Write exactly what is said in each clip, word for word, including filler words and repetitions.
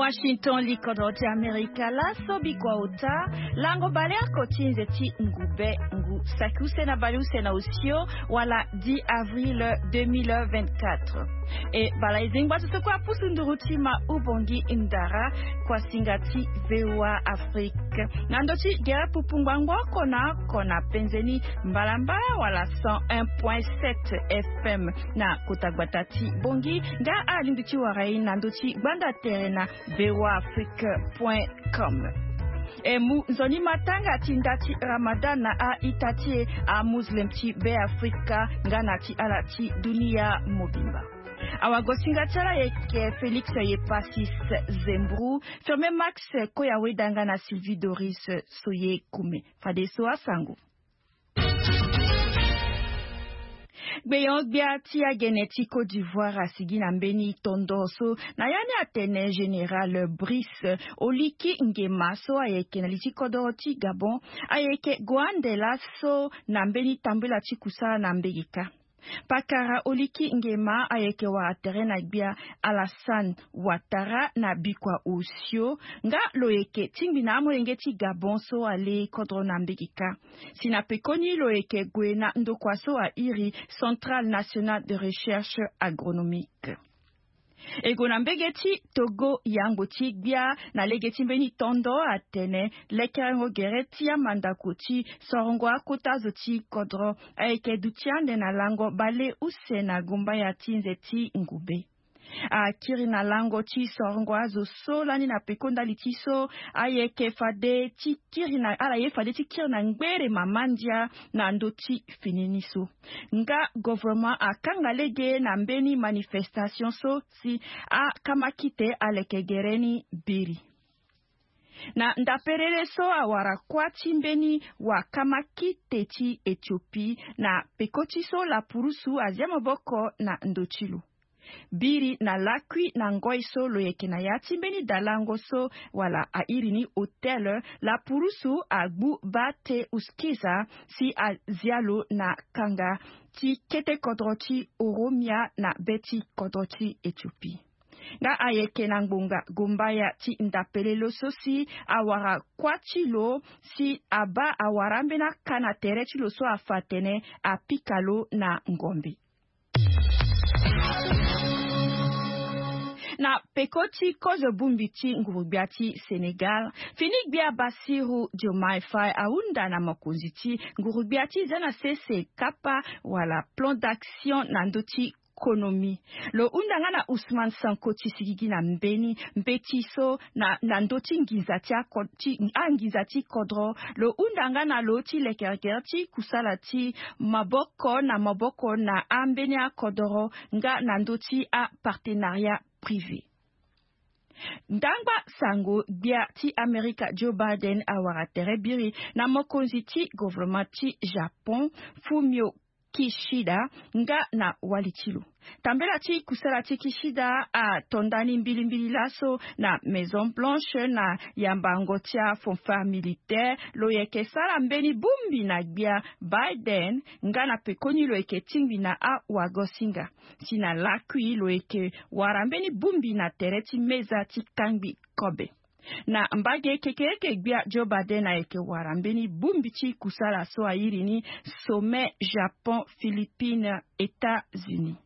Washington, likodro ti Amerika. Laso bikua ota, lango baleoko ti nze ti ngube, ngu saki use na baleuse na osio, wala dix avril deux mille vingt-quatre. E bala e zengba so so kue apusu nduru ti ma Ubongi Ndara, kuasinga ti V O A Afrique. Na ndo ti gere pupu ngbangbo oko na oko na penze ni mbalambala wala cent un point sept F M na kota gbata ti Bongi, nga alingbi ti wara e na ndo ti gbanda tere na V O A Afrique point com. E mu nzoni matanga ti nda ti Ramadan na a-ita ti e, amuslim ti Beafrika nga na ti ala ti dunia mobimba. Awagosinga ti ala ayeke Félix Yepasis Zembru, Firme Max Koyaweda nga na Sylvie Doris Soye Kume. Fadeso asango. Gbeyon-gbia ti agene ti Côte d'Ivoire asigi na mbeni tondo so na ya ni atene Général Brice Oligui Nguema so ayeke na li ti kodoro ti Gabon ayeke gue ande laso na mbeni tambela ti kusala na mbege kâ. Pakara Oligui Nguema ayeke wara tere na gbia Alassane Ouattara na bikua osio, nga lo yeke tingbi na amolenge ti Gabon so ale kodro na mbege kâ. Si na pekoni lo yeke gue na ndokua so airi Centrale Nationale de Recherche Agronomique. E gue na mbege ti Togo, yango ti gbia na lege ti mbeni tondo atene lekerengo gere ti amandako ti sorongo akota zo ti kodro ayeke duti ande na lango bale use na gumbaya ti nze ti ngube. Akiri na lango ti sorongo azo so lani na peko ndali ti so ayeke fade ti kiri na ala ye fade ti kiri na ngbere mama ndia na ndo ti fini ni so. Nga gouvernement akanga lege na mbeni manifestation so si akamakite aleke gere ni biri. Na ndaperere so awara kuâ ti mbeni wakamakite ti Ethiopie na peko ti so lapurusu azia maboko na ndo ti lo. Biri na lakui na ngoi so lo yeke na ya ti mbeni dalango so wala airi ni hôtel, lapurusu agbu bate uskiza si azia lo na kanga ti kete kodro ti Oromia na be ti kodro ti Ethiopie. Nga ayeke na ngbonga gombaya ti ndapelelo so si awara kuâ ti lo si abaa awara ambeni aka na tere ti lo so afa atene apika lo na ngombe. Na peko ti kozo bongbi ti nguru-gbia ti Sénégal, fini gbia Bassirou Diomaye Faye ahunda na mokonzi ti nguru-gbia ti za na sese kapa wala plan d'action na ndö ti konomi. Lo hunda nga na Ousmane Sonko ti sigigi na mbeni mbeti so na, na ndö ti nginza ti ako-, ti anginza ti kodro. Lo hunda nga na lo ti lekerekere ti kusala ti maboko na maboko na ambeni akodoro nga na ndö ti apartenariat privé. Ndangba sango, gbia ti Amerika Joe Biden awara tere biri na mokonzi ti gouvernement ti Japon, Fumio Kishida, nga na wali ti lo. Tambela ti kusala ti Kishida ato ndani mbilimbili laso na Maison Blanche na yambango ti afanfare militaire. Lo yeke sara mbeni bongbi na gbia Biden nga na pekoni lo yeke tingbi na awagosinga. Si na lakui lo yeke wara mbeni bongbi na tere ti meza ti kangbi kobe. Na mbage kekereke, gbia Joe Biden ayeke wara mbeni bongbi ti kusala so airi ni Sommet Japon Philippines États-Unis.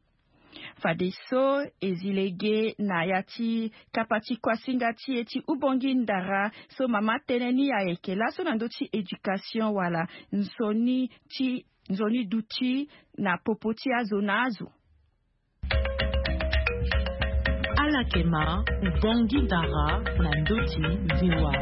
Fadeso e zi lege na ya ti kapa ti kuasinga ti e ti Ubongi Ndara so mama tënë ni ayeke laso na ndö ti éducation wala nzoni ti, nzoni duti na popo ti azo na azo. Ala yeke ma Ubongi Ndara na ndö ti V O A.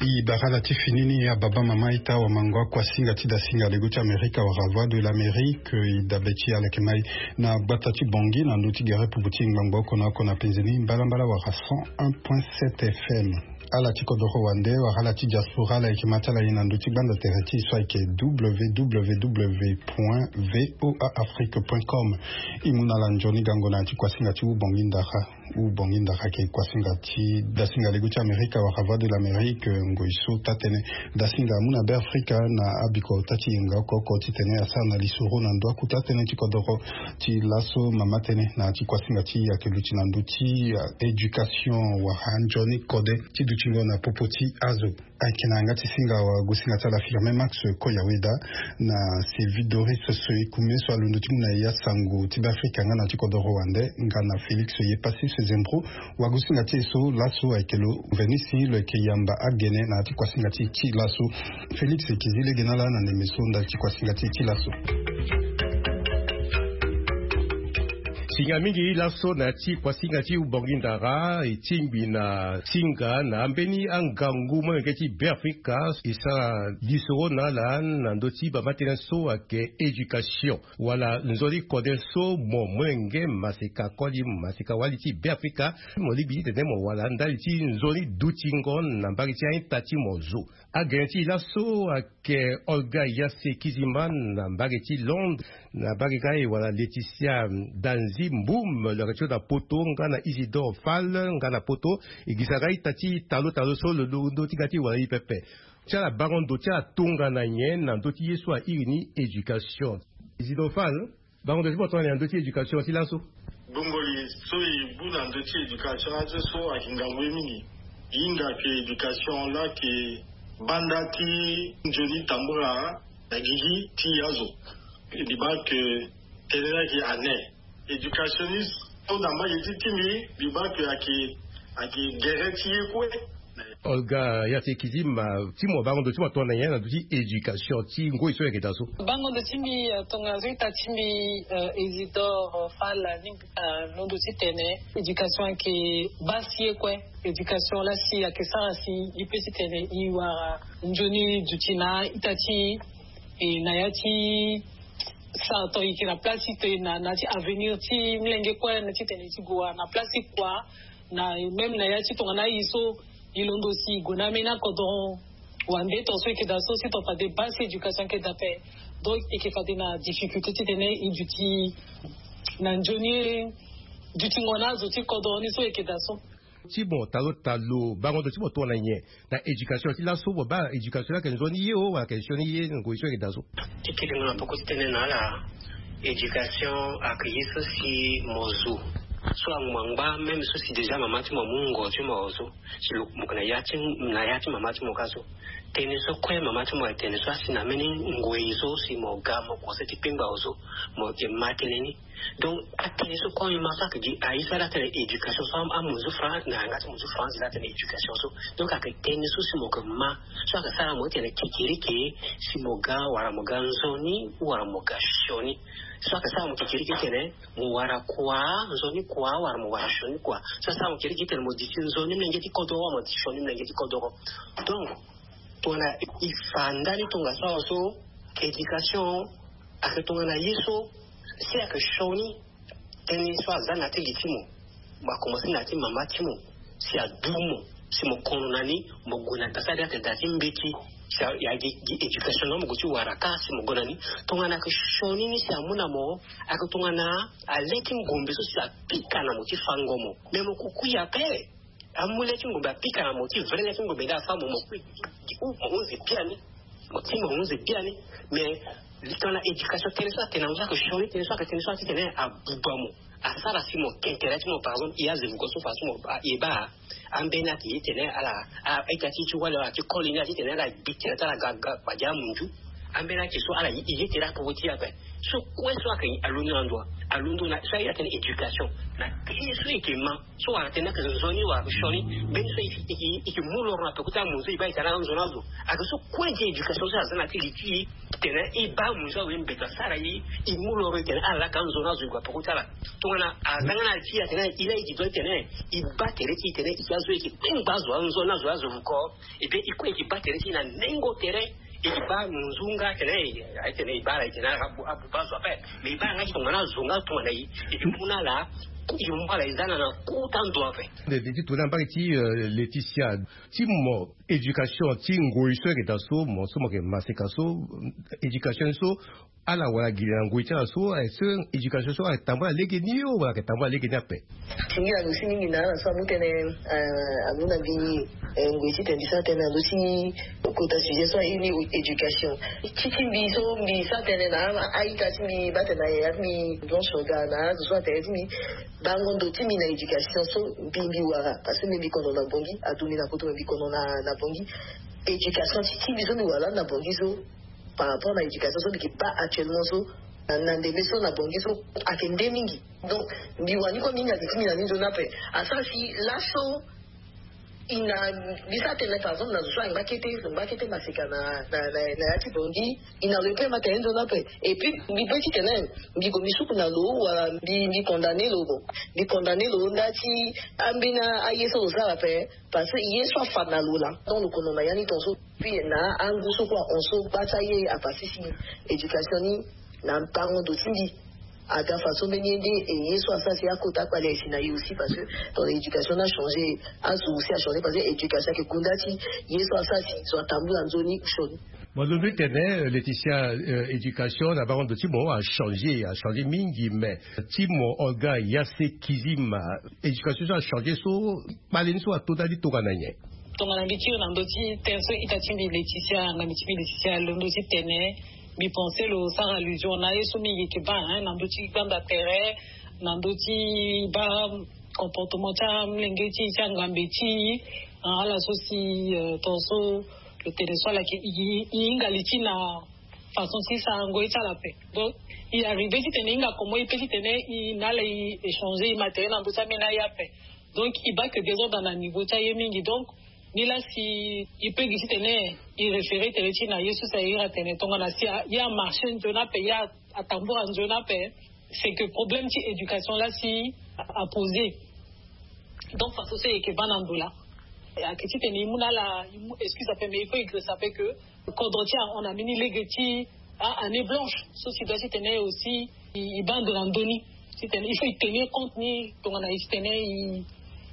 E bara ala ti fini ni, ababa, mama, ita, wamango, akuasinga ti dasinga lego ti Amerika wala Voix de l'Amérique, e dabe ti ala yeke ma e na gbata ti Bongi na ndö ti gere pupu ti ngbangbo oko na oko na penze ni mbalambala wala cent un point sept F M. Ala ti kodoro wande wala ala ti diaspora, ala yeke ma ti ala ye na ndö ti gbanda tere ti e so ayeke W W W point V O A Afrique point com. E mu na ala nzoni gango na ya ti kuasinga ti Ubongi Ndara. Ou bongi ndara ke kuasinga ti dasinga lego ti amerika wala voie de l'amérique ngoi so taa-tënë dasinga amu na be afrika na abiko taa ti yenga oko oko titene asara na lisoro na ndo aku taa-tënë ti kodoro. Ti laso mama tënë na ya ti kuasinga ti ayeke luti na ndö ti éducation wala nzoni kode ti dutingo na popo ti azo. Ayeke na yanga ti singa wagosinga ti ala firme max koyaweda na sylvie doris soyekume so alondo ti mu na ya sango ti be afrika nga na ti kodoro wande nga na félix yepassis zembro. Wagosinga ti e so laso ayeke lo venisi lo yeke yamba agene na ya ti kuasinga ti e ti laso. Félix eki zi lege na ala na ndembe so ndali ti kuasinga ti e ti laso. Singa mingi laso na ya ti kuasinga ti ubongi ndara e tingbi na singa na ambeni angangu molenge ti be afrika e sara lisoro na ala na ndö ti bama tënë so ayeke éducation wala nzoni kode so mo molenge maseka koli maseka wali ti be afrika mo lingbi titene mo wara ndali ti nzoni dutingo na mbage ti a-ita ti mo zo. Agene ti e laso ayeke olga yase kizima na mbage ti londres na mbage kâ e wala laetitia danzi mbum lo yeke ti lo na poto nga na isidore fal nga na poto. E gi sara ita ti talo talo so lo londo ti ga ti e wala e pepe. Ti ala bango ndo ti ala tongana nyen na ndö ti ye so airi ni éducation? Isidore fal, bango ndo ti mo tongana nyen na ndö ti éducation ti laso? Bongoli so e bu na ndö ti éducation azo so ayeke ngangu ye mingi. E hinga ke éducation laa ayeke banda ti nzoni tambula na gigi ti azo. Mbi baa ke tënë laa ayeke ane éducationniste so na mbage ti ti mbi mbi baa ke ayeke ayeke gere ti ye kue. Olga ya ti ekiti ma ti mo bango ndo ti mo tongana nyen na ndo ti éducation ti ngoi so yeke daa so? Bango ndo ti mbi tongana so ita ti mbi isidore fala ni. Londo ti tene éducation ayeke baa si ye kue. Éducation laa si ayeke sara si e pe ti tene e wara nzoni duti na ita ti e na ya ti sara to e yeke na place ti tene na na ya ti avenir ti molenge kue na ti tene e ti gue wara na place ti kua. Na même na ya ti tongana aye so e londo si e gue na ambeni akodoro wande to so e yeke daa so si to fade baa si éducation ayeke daa ape. Donc e yeke fade na difficulté ti tene e duti na nzoni dutingo na azo ti kodoro ni so e yeke daa so. Ti mo talo talo bango ndo ti mo tongana nyen na éducation ti laso mo baa éducation ni ayeke nzoni ye o wala ayeke sioni ye ngoi so e yeke daa so? Ti kiringo na poko ti tënë na ala éducation ayeke ye so si mo zo so angba même so si déjà mama ti mo amu ngo ti mo azo si lo kumuka na ya ti na ya ti mama ti mo ka so. Tënë so kue mama ti mo atene so asi na mbeni ngoi so si mo ga mo kose ti kpengba azo mo yeke ma tënë ni. Donc atënë so kue ma so ayeke gi aye so ala tene éducation so amu zo france na yanga ti mo zo france la tene éducation so. Donc ayeke tënë so si mo yeke ma so ayeke sara mo ti tene kekereke si mo ga wala mo ga nzoni wala mo ga sioni. So ayeke sara mo kekereke ti tene mo wara kua nzoni kua wala mo wara sioni kua. So asara mo kekereke ti tene mo diti nzoni mlenge ti kodoro wala mo diti sioni mlenge ti kodoro. Donc tongana e fa ndani tongaso awa so éducation ayeke tongana ye so si ayeke sioni tënë so aza na ya ti li ti mo. Mo akomanse na ya ti mama ti mo si adu mo si mo kono na ni mo gue na da so ade ayeke da ti mbeti si a- ya gi gi éducation na mo gue ti wara kâ si mo gue na ni. Tongana ayeke sioni ni si amu na mo ayeke tongana ale ti ngombe so si apika na mo ti fango mo. Me mo kukui ape. Amu le ti ngombe apika na mo ti vrai le ti ngombe nde afa mo mo kui gi u mo hunzi biani. Mo ti mo hunzi biani. Mais tongana éducation tënë so atene na mo so ayeke sioni tënë so ayeke tënë so ati tene abuba mo asara si mo ke intérêt ti mo par exemple e aze vuko so fa so mo e baa. Ambeni ayeke ye tene ala a ita ti ti wali ala ti koli ni ala ti tene ala gbi tene ti ala ga ga kpadi amunzu. Ambeni ayeke so ala ye tene apoko ti e ape. So kue so ayeke alondo na ndo alondo na so aye atene éducation na tënë so e yeke ma so wala tene ayeke nzoni wala ayeke sioni. Mbeni so e yeke mu loro na peko ti amunzu e baa e tene ala nzoni azo. Ayeke so kue ti éducation so aza na ti li ti e tene e baa amunzu awe mbeta asara e e mu loro e tene ala laa ka nzoni azo e gue na peko ti ala. Tongana aza nga na li ti e atene e laa e yeke do ti tene e baa tere ti e tene e ke azo e yeke kpengba azo anzoni azo azo vuko. Epui e kue e ke baa tere ti e na nengo tere. E ke baa munzu nga atene aye tene e baa ala e tene ala ka abuba azo ape. Mais e baa nga ti tongana azo nga tongana e e ke mu na ala. E mu ala e za na na kota ndo ape. Nde ti tongana mbage ti laetitia ti mo éducation ti ngoi so ayeke daa so mo so mo yeke maseka so éducation ni so Ala wala gi na ngoi ti ala so, eh, so éducation so ayeke tambula lege ni o wala ayeke tambula lege ni ape? Ti ngi na lo si mingi na ala so amu tënë, eh, amu na mbi, eh, ngoi titene mbi sara tënë na ndö ti kota sujet so aye ni éducation. Ti ti mbi so mbi sara tënë na a-ita ti mbi, baa tene na yaya ti mbi Blanche Oga, na azo so atene ti mbi bango ndo ti mbi na éducation so mbi, mbi wara, parce que mbi, mbi kono na Bangui, aduti na poto, mbi kono na, na Bangui. Éducation ti, ti mbi so mbi wara na Bangui so, par rapport na éducation so mbi ke baa actuellement so, na, na ndembe so na Bangui so, ayeke nde mingi. Donc mbi wani kue mbi hinga gi ti mbi na ni nzoni ape. Asara si laso, i na, mbi sara tënë, par exemple, na zo so ayeke ngba kete, ngba kete maseka na, na, na, na ya ti Bangui, i na lo ye pe ma tene nzoni ape. Et puis mbi pe titene mbi gue mbi suku na lo wala mbi, mbi condamné lo, bon, mbi condamné lo nda ti ambeni aye so lo sara ape. Parce que ye so afa na lo laa, tant lo kono na ya ni tongaso. Puis na angu so kue ahon so gba ti aye apasisi éducation ni na bango ndo ti mbi. Aga façon mbeni ye nde, e ye so asara si akota akpale aye si na ye aussi, parce que ton éducation ni achangé, azo aussi achangé, parce que éducation ayeke gonda ti ye so asara si zo atambula nzoni osioni. Mo londo ti tene, euh, Laetitia, euh, éducation na bango ndo ti mo achangé, achangé mingi, mais ti mo Olga Yase Kizima, éducation so achangé so, kpale ni so ato ndali tongana nyen? Tongana mbi kiri na ndö ti tënë so ita ti mbi Laetitia, ngambi ti mbi Laetitia alondo ti tene, mbi pensé lo sara allusion na ye so mingi yeke baa, hein, na ndö ti gbanda tere, na ndö ti baa comportement ti amolenge ti e, ti angambe ti e, ah, ala so si, euh, tongaso lo tene so ala yeke, e, e hinga li ti e na façon ti sarango ye ti ala ape. Donc e arrivé titene e hinga comment e pe titene e na ala e échanger e ma tere na ndö ti ambeni aye ape. Donc e baa yeke désordre na niveau ti aye mingi. Donc ni laa si e pe gi titene e référé tere ti e na ye so si aye iri atene tongana si a, ye amarché nzoni ape, ye a, atambula nzoni ape, c'est que problème ti éducation laa si a, aposé. Donc façon so e yeke baa na ndo laa, ayeke titene e mu na ala, e mu excuse ape, mais il faut e girisa ape que kodro ti e ahon na mbeni lege ti a, année blanche so si doit titene aussi e, e baa ndo na ndö ni. Titene il faut e tenir compte ni tongana e titene e,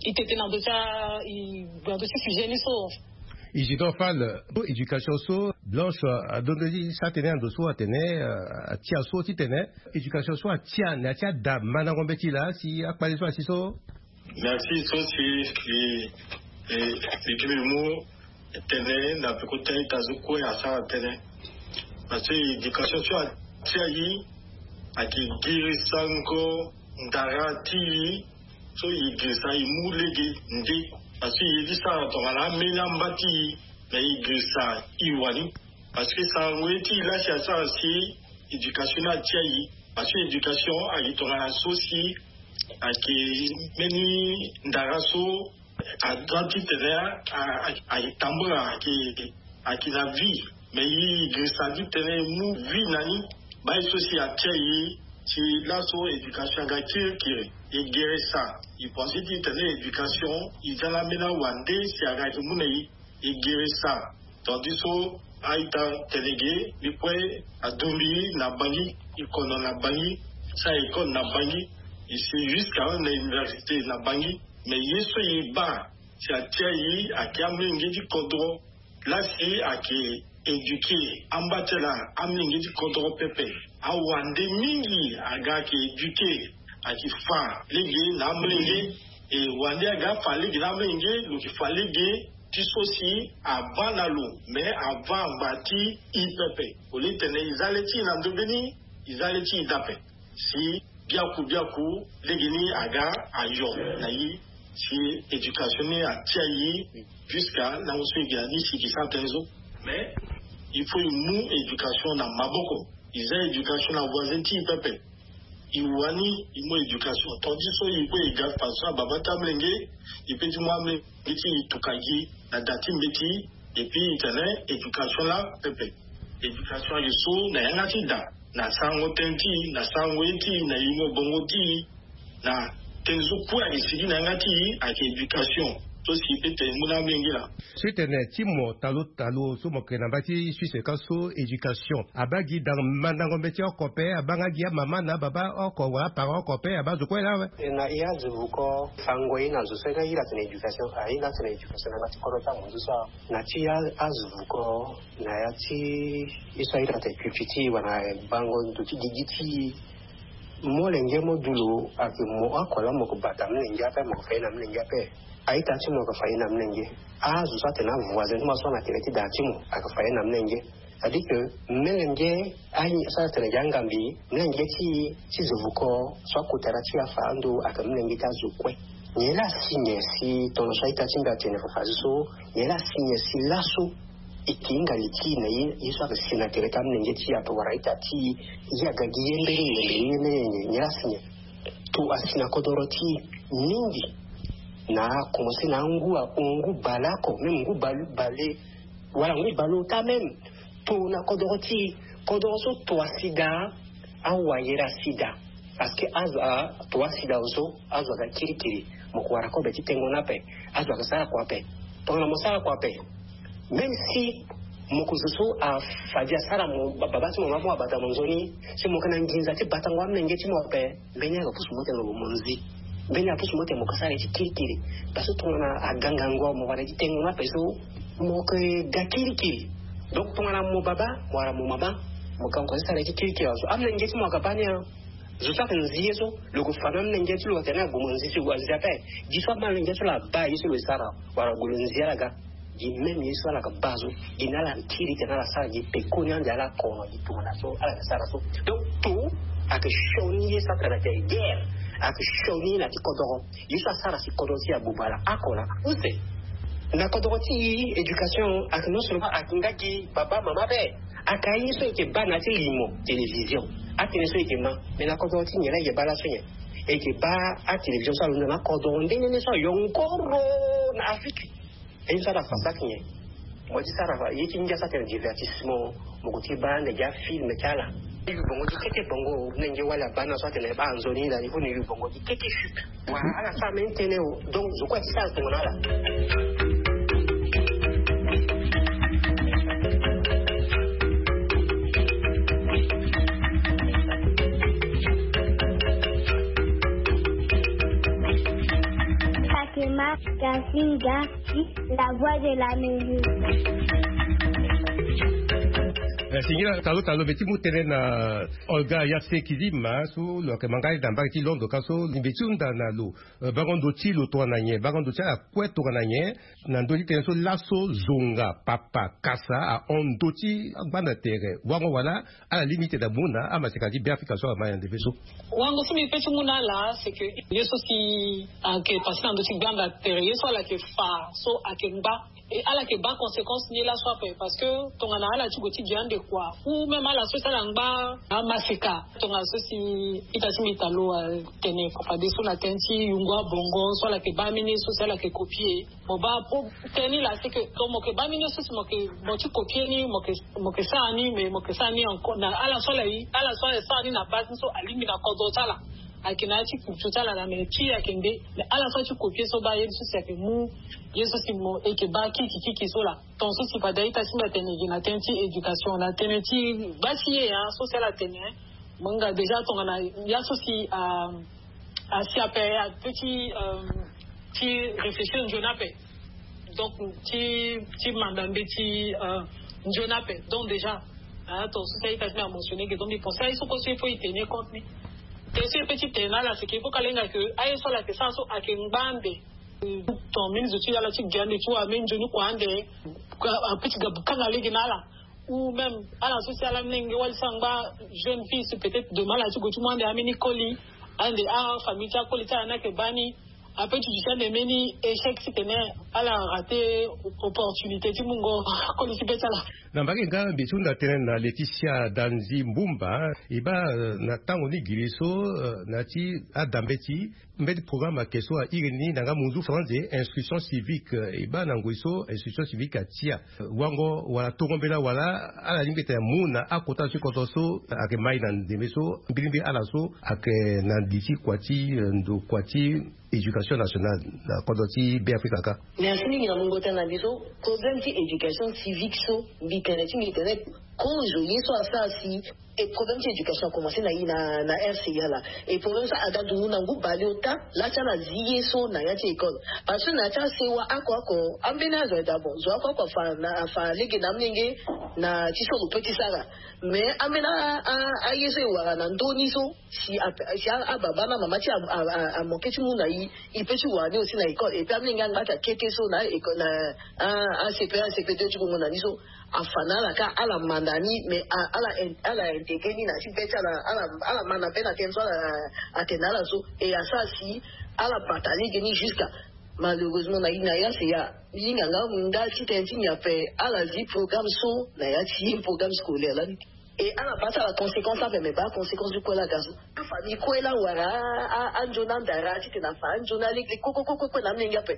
e tete na ndö ti a, e gue na ndö ti sujet ni so. Isidore Fall, éducation so Blanche, euh, alondo ti sara tënë na ndo so atene, euh, atia so titene éducation so atia, na ya ti ada mandango mbeti laa si akpale so asi so. Merci. So si e, e, e gi mbi mu tene na peko ti a-ita so kue asara tënë. Parce que éducation so atia e ayeke girisango ndara ti e, so e girisa e mu lege nde. Parce que e ye ti sara tongana ambeni amba ti e, me e girisa e wani. Parce que sarango ye ti e laa si asara si éducation ni atia e. Parce que éducation ayeke tongana so si ayeke mbeni ndara so aza titene a, a, a, atambula, ayeke, ayeke na vie. Me e girisa titene e mu vie na ni. Baa ye so si atia e si laso éducation aga kirikiri. E girisa, e pense titene éducation e za na ambeni awande si aga yeke mu na e. E girisa. Tandis so a-ita tene ge, mbi kue adumbi na Bangui, e kono na Bangui, sara école na Bangui, e si jusqu'à na université na Bangui. Mais ye so e baa si atia e ayeke amolenge ti kodro laa si ayeke éduqué amba ti ala amolenge ti kodro pepe. Awande mingi aga ayeke éduqué, ayeke fa lege na amolenge. E wande aga afa lege na amolenge, lo yeke fa lege ti so si avaa na lo, mais avaa angba ti e pepe. Au lieu titene e za le ti e na ndö mbeni, e za le ti e dape. Si biaku biaku lege ni aga ayo na e, si éducation ni atia e jusqu'à lango so e gi na ni si e gi sara tënë so. Mais il faut e mu éducation na maboko. E za éducation na voisin ti e pepe. E wani e mu éducation. Tandis so e kue e ga façon na babâ ti amolenge, e pe ti mu amolenge ti e tuka gi na da ti mbeti. Et puis e tene éducation laa pepe. Éducation ayeke so na yanga ti da, na sarango tënë ti e, na sarango ye ti e, na yingo bongo ti e, na tënë so kue ayeke sigi na yanga ti e ayeke éducation. So si pe tene mu na amenge la. So e tene ti mo talo talo so mo yeke na mbage ti Suisse ka so éducation abaa gi dan mandango mbeti oko ape, abaa nga gi amama na ababa oko wala aparent oko ape, abaa zo kue laa awe. Na ya azo vuko fango ye na zo so e na hila tene éducation, ahila tene éducation na nga ti kodro ti amunzu so. Na ti ya azo vuko na ya ti ye so ahila tene pupiti wala bango ndo ti gigi ti molenge mo du lo ayeke mo oko laa mo yeke bata molenge ape, mo yeke fa ye na molenge ape. Aita ti mo ayeke fa ye na molenge. Azo so atene avoisin ti mo so na tere ti da ti mo ayeke fa ye na molenge. C'est-à-dire que molenge aye so atene gi angambi molenge ti ti zo vuko so akota na ti afa ando ayeke molenge ti azo kue. Nyen laa si nyen si tongana so aita ti mbi atene fafazi so, nyen laa si nyen si laso e ke hinga li ti e na ye ye so ayeke si na tere ti amolenge ti e ape wala aita ti e aga gi ye mbeni nyen mbeni ye mbeni nyen nyen laa si nyen. To asi na kodoro ti e mingi. Na akomense na angu ahon ngu baleoko même ngu baleoko wala ngu baleoko ota même. To na kodoro ti e kodoro so to asi daa. Awayera sida. Parce que azo ato asida oso azo aga kirikiri. Mo ko wara kobe ti tengo na ape. Azo aga sara kua ape. Tongana mo sara kua ape, même si mo ko zo so afadi asara mo baba ti mo mama mo abata mo nzoni. Si mo yeke na nginza ti batango amenge ti mo ape, mbeni aga pusu mo tene mo monzi. Mbeni aga pusu mo tene mo ka sara ye ti kirikiri. Parce que tongana agangango mo wara ye ti tengo na ape so mo yeke ga kirikiri. Donc tongana mo baba wala mo mama mo ka mo ko ti sara ye ti kirikiri azo amenge ti mo aga bani a. Zo so ayeke nzi ye so lo yeke fa na amolenge ti lo atene ague mo nzi so lo ague nzi ape. Gi so amolenge ti lo abaa ye so lo sara wala ague lo nzi ala ga. Gi même ye so ala yeke baa so gi na ala kiri tene ala sara gi pekoni ande ala oko na gi tongana so ala yeke sara so. Donc to ayeke sioni ye so atene atene guerre ayeke sioni ye na ti kodoro. Ye so asara si kodro ti abuba ala oko la use. Na kodro ti éducation ayeke non seulement ayeke nga gi baba mama ape. Ayeke aye so e yeke baa na ya ti limo télévision. Atënë so e yeke ma. Mais na kodro ti nyen la e yeke baa laso nyen? E yeke baa atélévision so alondo na akodro nde nene so ayongoro na Afrique. Aye so ala fa saki nyen? Mo ti sara fa ye ti ngia so atene divertissement. Mo ko ti baa ande gi afilm ti ala. Ni yu bongo gi keke bongo nenge wali abaa na so atene baa nzoni la il faut ni yu bongo gi keke chupe. Wa ala sara même tënë o. Donc zo kue ti sara tongana ala. Fatima Kasinga, la voix de l'Amérique. Eh, singila talo talo mbi ti mu tënë na Olga Yase Kizima so lo yeke ma nga na mbage ti Londres ka so mbi ti hunda na lo. Eh, bango ndo ti lo tongana nyen? Bango ndo ti ala kue tongana nyen? Na ndö ti tënë so laso zonga papa kasa ahon ndo ti gbanda tere wango wala ala lingbi ti tene amu na amaseka ti Beafrika so ama na ndembe so. Wango so mbi pe ti mu na ala c'est que ye so si ayeke pase na ndö ti gbanda tere ye so ala yeke fa so ayeke ngba. E ala yeke baa conséquence ni laso ape parce que tongana ala ti gue ti gi ande kua ou même ala so si ala ngba amaseka tongana so si ita ti mbi ta lo atene fafadeso na tënë ti yungu abongo so ala yeke baa mbeni ye so si ala yeke copier. Mo baa po tënë ni la c'est que donc mo yeke baa mbeni ye so si mo yeke mo ti copier ni mo yeke mo yeke sara ni mais mo yeke sara ni encore na ala so ala ye ala so ala sara ni na base ni so alingbi na kodro ti ala. Ayeke na ya ti culture ti ala na mais ti ayeke nde mais ala so ti copier so baa ye so si ayeke mu ye so si mo e yeke baa kirikiri so la. Ton so si fade a-ita ti mbi atene gi na tënë ti éducation na tënë ti baa ti ye ya so si ala tene. Mo hinga déjà tongana ya so si asi ape ape ti ti réfléchir nzoni ape. Donc ti ti manda mbeti nzoni ape donc déjà ton so si a-ita ti mbi amentionner ge donc mbi pense aye so kue so il faut e tenir compte ni. Te so e pe ti tene na ala c'est que il faut ka lenga que aye so ala yeke sara so ayeke ngba ande. Ton mbeni zo ti ala ti gi ande ti wa mbeni nzoni kua ande. Ape ti ga kanga lege na ala. Ou même ala so si ala mlenge wali sara ngba jeune fille so peut-être demain ala ti gue ti mu ande ambeni koli. Ande afamille ti akoli ti ala ni ayeke baa ni. Ape ti duti ande mbeni échec ti tene ala rate opportunité ti mungo koli ti be ti ala. Na mbage nga mbi ti hunda tënë na Laetitia Danzi Mbumba, e baa na tango ni giri so, na ya ti adambe ti mbeti programme ayeke so airi ni na nga munzu français instruction civique. E baa na ngoi so instruction civique atia wango wala tongo mbela wala ala lingbi tene amu na akota so ti kodro so ayeke mai na ndembe so mbilingbi ala so ayeke na li ti kua ti ndo kua ti éducation nationale na kodro ti Beafrika kâ. Merci mingi na mungo tënë na mbi so. Problème ti éducation civique so mbi tene ti mbi tene kozo ye so asara si e problème ti éducation akomanse na ye na na rca la. E problème so aga dungu na ngu baleota la ti ala zi ye so na ya ti école. Parce que na ya ti asewa ako ako ambeni azo aye daa bon zo ako ako afa na afa lege na amolenge na ti so lo pe ti sara. Mais ambeni a- a- aye so e wara na ndö ni so si a- si a- ababa na mama ti a- a- a- amoke ti mu na ye. E pe ti wara ni aussi na école et puis amolenge angba ti akete so na école na a- acp acp deux ti bongo na ni so afa na ala kâ ala manda ni mais a- ala in- ala intégrer ni na ti be ti ala ala ala manda pe na tënë so ala atene na ala so. Et asara si ala bata lege ni jusqu'à malheureusement na na ya se ya. Hinga nga nga ti tënë ti nyape ala zi programme so na ya ti programme scolaire lani. Et ala baa ti ala conséquence ape mais baa conséquence ti kue la ga so. Afamille kue la wara a- a- anzoni andara titene afa anzoni alege kue kue kue kue na amolenge ape.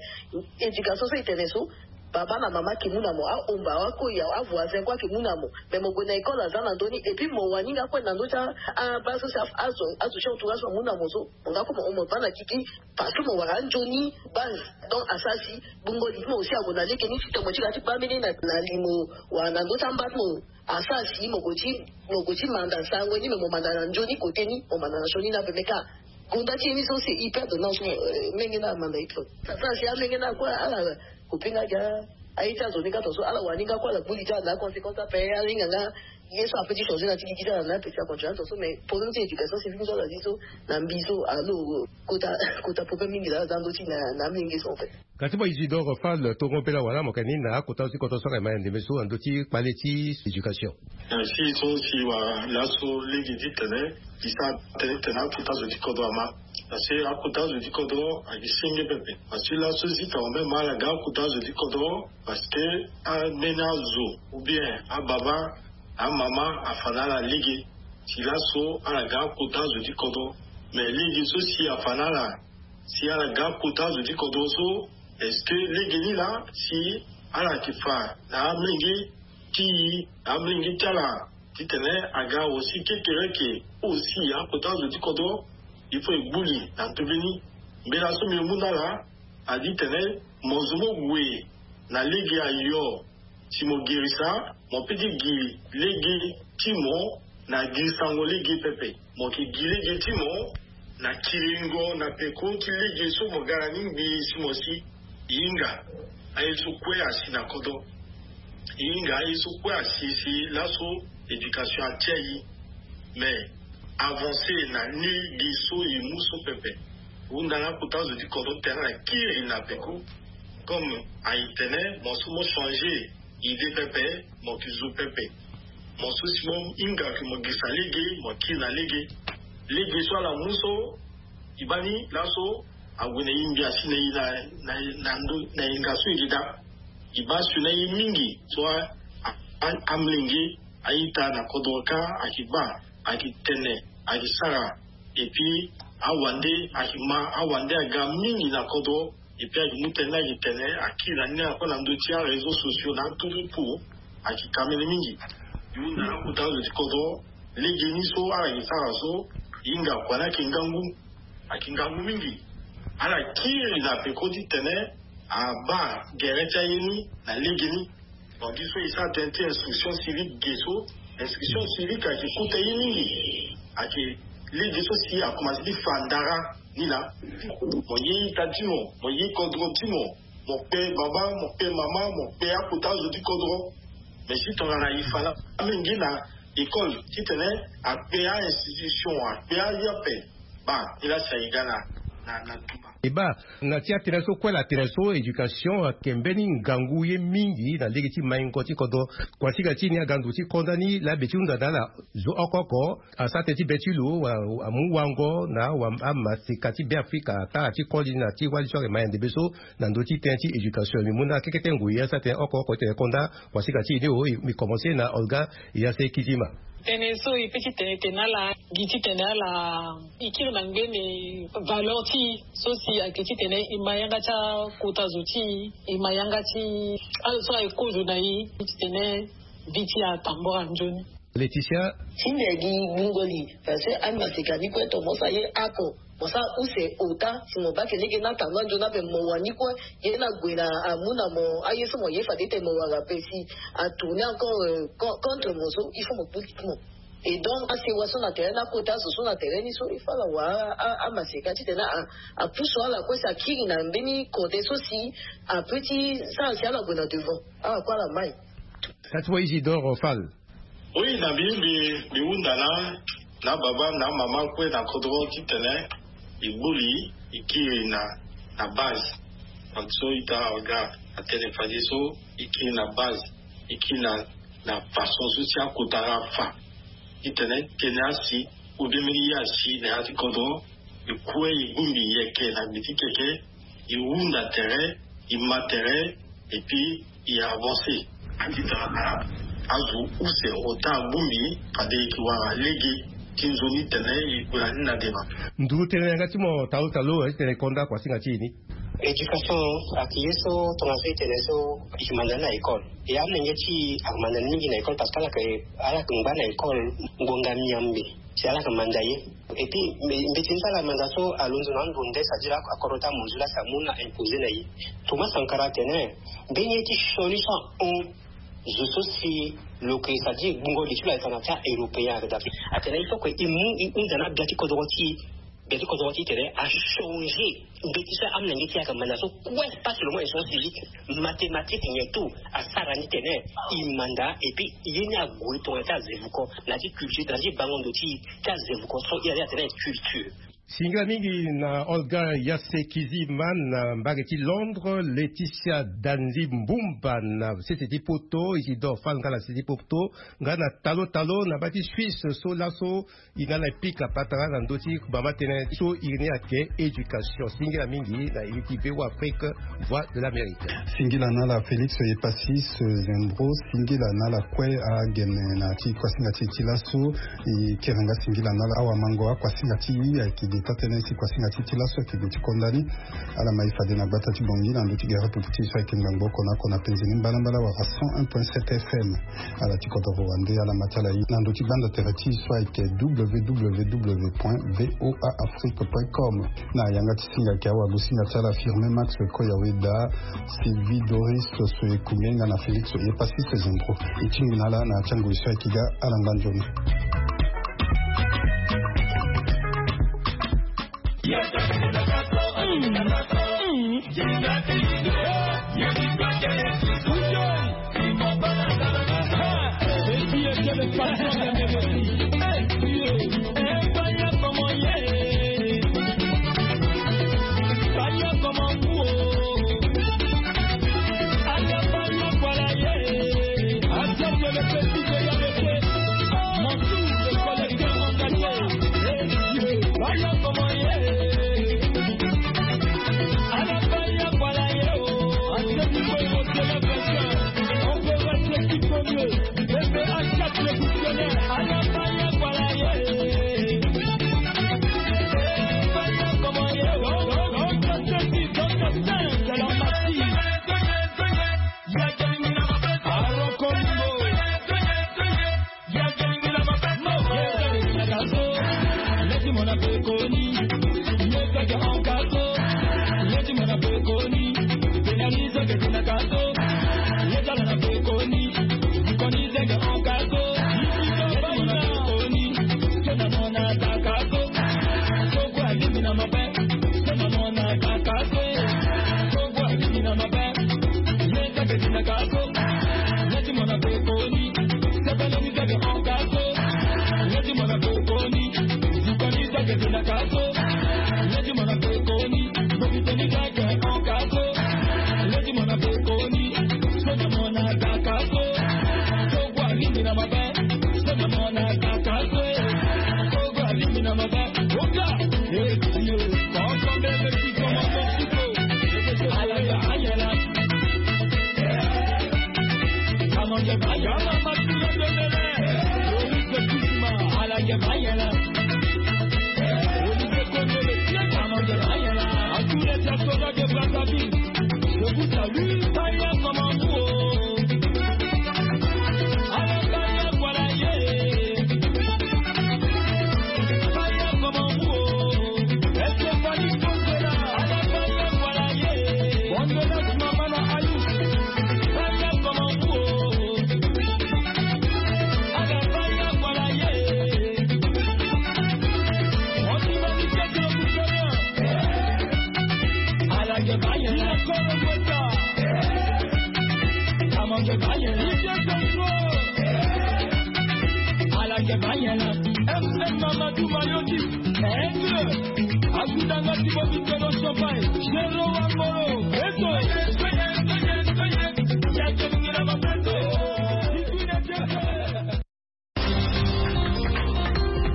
Éducation so e tene so baba na mama ayeke mu na mo ahomba akoi avoisin kue ayeke mu na mo. Mais mo gue na école aza na ndö ni et puis mo wani nga kue na ndö ti abaa so si azo azo ti entourage amu na mo so mo nga kue mo hon mo baa na gigi. Parce que mo wara anzoni base. Donc asara si bongo li ti mo aussi ague na lege ni titene mo ti ga ti baa mbeni na na li mo wara na ndö ti amba ti mo. Asara si mo gue ti mo gue ti manda sango ni me mo manda na nzoni kote ni mo manda na sioni ni ape me kâ. Gonda ti ye ni so c'est hyper donnant so. Menge na amanda ye trop. Asara si amenge na kue ala kopi nga gi aye ti azo ni nga tongaso ala wani nga kue ala gbu li ti ala na aconséquence ape ahinga nga ye so ape ti changer na ti gigi ti ala na ape ti acontinue tongaso mais problème ti éducation civique so ala zi so na mbi so alo kota kota problème mingi la aza ndö ti na na amenge so en fait. Kasi mo isidore fal tongo mbela wala mo yeke ni na akota so ti kodro so ayeke ma na ndembe so na ndö ti kpale ti éducation. Na si so si wala laso lege ti tene e sara tënë tene akota zo ti kodro ama. Parce que akota zo ti kodro ayeke senge pepe. Parce que laso zi tene même ala ga akota zo ti kodro parce que ambeni azo ou bien ababa amama afa na ala lege. Si laso ala ga akota zo ti kodro mais lege so si afa na ala si ala ga kota zo ti kodro so est-ce que lege ni laa si ala yeke fa na amolenge ti i na amolenge ti ala titene aga aussi kekereke aussi akota zo ti kodro. Il faut e gbu li na ndo mbeni mbela so mbi mu na ala adi tene mo zo mo gue na lege ayo si mo girisa mo pe ti gi lege ti mo na girisango lege pepe. Mo yeke gi lege ti mo na kiringo na peko ti lege so mo ga na ni ngbii si mo si. E hinga aye so kue asi na kodro. E hinga aye so kue asi si laso éducation atia e mais avancer na ni gi so e mu so pepe. Hunda na kota zo ti kodro tene na kiri na peko. Comme aye tene mo so mo changer idée pepe mo yeke zo pepe. Mo so si mo hinga ke mo girisa lege mo kiri na lege. Lege so ala mu so e baa ni laso ague na e ngia si na e na na ndo na e nga so e yeke daa. E baa si na e mingi so amolenge a-ita na kodro kâ ayeke baa ayeke tene ayeke sara. Et puis awande ayeke ma awande aga mingi na kodro. Et puis ayeke mu tënë ni ayeke tene akiri na ni na kue na ndö ti aréseau sociaux na aturuku ayeke ka mbeni mingi. E hunda na akota azo ti kodro lege ni so ala yeke sara so e hinga kua ni ayeke ngangu. Ayeke ngangu mingi. Ala kiri na peko ti tene abaa gere ti aye ni na lege ni. Mo gi so e sara tënë ti instruction civique ge so instruction civique ayeke kota ye mingi. Ayeke lege so si akomanse ti fa ndara ni laa. Mo ye ita ti mo mo ye kodro ti mo. Mo kpe baba mo kpe mama mo kpe akota azo ti kodro. Mais si tongana e fa na amenge na école titene akpe a-institution akpe aye ape. Baa ni laa si aye ga na na na tumba. E baa, na ti atene so kue la tene so éducation ayeke mbeni ngangu ye mingi na lege ti maingo ti kodro. Kuasinga ti e ni aga ndo ti konda ni laa be ti hunda na ala zo oko oko asara tënë ti be ti lo amu wango na amaseka ti Beafrika atara ti koli na ti wali so ayeke Mayande be so. Na ndö ti tënë ti éducation mbi mu na kekete ngoi asara tënë oko oko ti tene konda. Kuasinga ti e ni o, mbi komanse na Olga Yasekizima. Tënë so e pe ti tene tene ala gi titene ala e kiri na ngbene valeur ti e so si ayeke titene e ma yanga ti akota zo ti e, e ma yanga ti azo so aye kozo na e titene vi ti e atambora nzoni. Laetitia. Ti mbi agi gbungo li parce que amaseka ni kue tomo sa ye ako. Mo sara use ota si mo bake lege na tanga nzoni ape mo wani kue. Ye na gue na amu na mo aye so mo ye fade tene mo wara ape si atourner encore contre mo so il faut mo kputi mo. Et donc asewa so na tere ni akota azo so na tere ni so il faut ala wara amaseka titene apusu ala kue si akiri na mbeni kode so si ape ti sara si ala gue na devant. Ala kue ala mai. Sati wa Isidore Fall. Oui, na mbi mbi hunda na na baba na mama kue na kodro titene e gbu li e kiri na na base. Donc so ita ga atene fade so e kiri na base, e kiri na na façon so si akota ga afa. Titene tene asi ou bien mbeni ye asi na ya ti kodro e kue e gbu mbi e yeke na gbe ti keke. E hunda tere, e ma tere, et puis e avancer. Atitene azo use ota agbu mbi fade e yeke wara lege ti nzoni tene e gue na ni na dema. Nduru tene na yanga ti mo talo talo ti tene konda kuasinga ti e ni. Éducation ayeke ye so tongana so e tene so e yeke manda ni na école. E amolenge ti e ayeke manda ni mingi na école parce que ala yeke ala yeke ngba na école ngonga miambe. Si ala yeke manda ye. Et puis mbe mbe ti ni so ala manda so alondo na ando nde c'est-à-dire akodro ti amozu laa si amu na imposer na ye. Thomas Sankara atene mbeni ye ti sioni so ahon zo so si lo ke c'est-à-dire gbungo li ti lo ayeke na ti a-européen ayeke daa. Atene il faut que e mu e hunda na gbia ti kodro ti e. Gbia ti kodro ti e tene achanger. Mbeti so amolenge ti e ayeke manda so kue pas seulement e sens physique, mathématique nyen tout asara ni tene e manda. Et puis ye ni ague tongana ti azevuko na ti culture na ti bango ndo ti e ti azevuko so e ali atene culture. Singila mingi na Olga Yasekizima na mbage ti Londres, Laetitia Danzi Mbumba na sese ti poto, Isidore Fall nga na sese ti poto, nga na talo talo na baa ti Suisse so laso. I na ala e pika patara na ndö ti mama tënë so iri ni ayeke éducation. Singila mingi na iri ti V O A Afrique, Voix de l'Amérique. Singila na ala Félix Epasis Zembro. Singila na ala kue agene na ti kuasinga ti e ti laso. E kiri nga singila na ala awamango akuasinga ti e ayeke ge taa-tënë si kuasinga ti e ti laso ayeke ge ti konda ni. Ala ma e fade na gbata ti Bangui na ndö ti gere pupu ti e so ayeke ngbangbo oko na oko na penze ni mbalambala wala cent un point sept F M. Ala ti kodoro wande ala ma ti ala ye na ndö ti gbanda tere ti e so ayeke W W W point V O A Afrique point com. Na yanga ti singa ayeke awagosinga ti ala Firmin Max Koyaweda, Sylvie Doris Soekumbe nga na Félix Epasis Zembro. E tingbi na ala na ya ti angoi so ayeke ga ala ngba nzoni.